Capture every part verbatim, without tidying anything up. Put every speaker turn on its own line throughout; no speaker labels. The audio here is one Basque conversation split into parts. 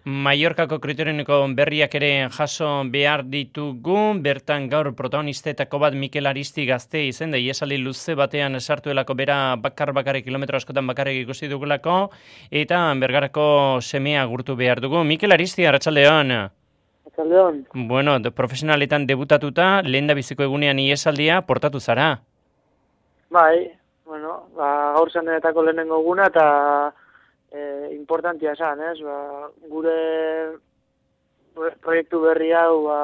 Mallorcako kriterioneko berriak ere jaso behar ditugu, bertan gaur protagonistetako bat Mikel Aristi gazte izen da iesaldi luze batean sartuelako bera bakar bakarrik kilometro askotan bakarrik ikusi dugulako, eta Bergarako semea gurtu behar dugu. Mikel Aristi, arratsaldeon.
Arratsaldeon.
Bueno, de, profesionaletan debutatuta, lehen da biziko egunean iesaldia portatu zara.
Bai, bueno, ba, gaur zanetako lehenengo eguna eta e, importantia esan, ez? Ba, gure proiektu berri hau ba,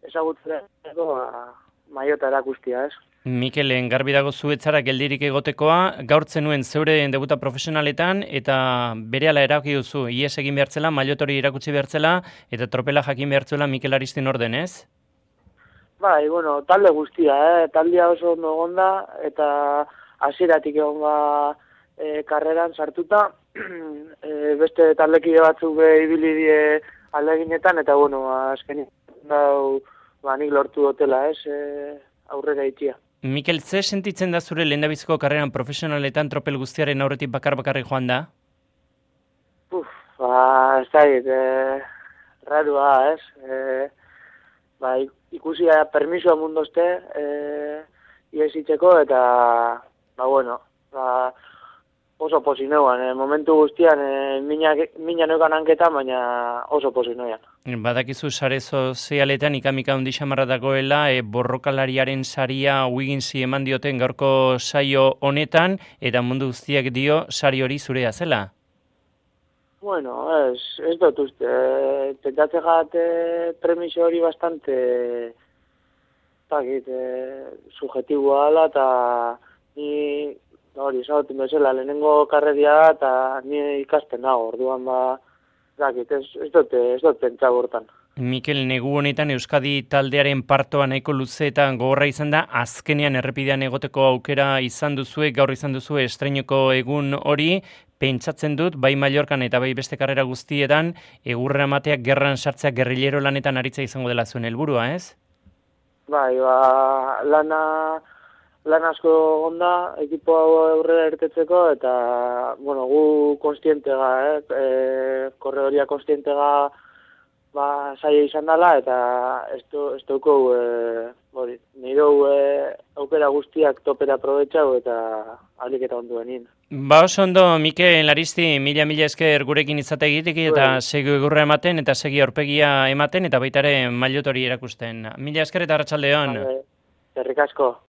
ezagutzeko ba, maiota erakustia, ez?
Mikel, garbi dago zuetzara geldirik egotekoa, gaur zenuen zeure debuta profesionaletan eta berehala erabaki duzu, ies egin behartzela, mailotori erakutsi behartzela eta tropela jakin behartzela Mikel Aristin orden, ez?
Bai, bueno, talde guztia, eh? Taldea oso ondo egonda eta hasieratik egon ba e, karreran sartuta, e, beste taldekide batzuk be ibili die aldeginetan eta bueno, azkenik dau ba nik lortu dutela, ez? E, aurrera itzia.
Mikel, ze sentitzen da zure lehendabiziko karreran profesionaletan tropel guztiaren aurretik bakar bakarrik joan da?
Uf, ba, ez da, e, rarua, ez? E, ba, ikusi da permisoa mundozte, e, iesitzeko eta, ba, bueno, ba, oso posi neuan, e, momentu guztian, e, mina, mina neukan hanketa, baina oso posi neuan.
Badakizu sare sozialetan ikamika hundi xamarra dagoela, e, borrokalariaren saria Wigginsi eman dioten gaurko saio honetan, eta mundu guztiak dio sari hori zurea zela.
Bueno, ez, ez dut uste, e, pentatze gate premiso hori bastante, takit, e, subjetiboa ala, eta ni, hori, esagotin bezala, lehenengo karreria da, eta ni ikasten dago, orduan ba, dakit, ez, ez dut, ez dut pentsa bortan.
Mikel, negu honetan Euskadi taldearen partoa nahiko luze eta gogorra izan da, azkenean errepidean egoteko aukera izan duzue, gaur izan duzue estreinoko egun hori, pentsatzen dut, bai Mallorcan eta bai beste karrera guztietan, egurra emateak gerran sartzea gerrilero lanetan aritza izango dela zuen helburua, ez?
Bai, ba, lana, lan asko onda, ekipo hau aurrera ertetzeko, eta, bueno, gu konstientega, eh? E, korredoria konstientega, ba, saia izan dela, eta ez dugu, e, hori, nire e, aukera guztiak topera aprobetxau, eta alik eta ondo benin.
Ba, oso ondo, Mikel Aristi, mila mila esker gurekin izate egitek, eta segi egurra ematen, eta segi aurpegia ematen, eta baitare mailotori erakusten. Mila esker eta arratsaldeon.
Eskerrik asko.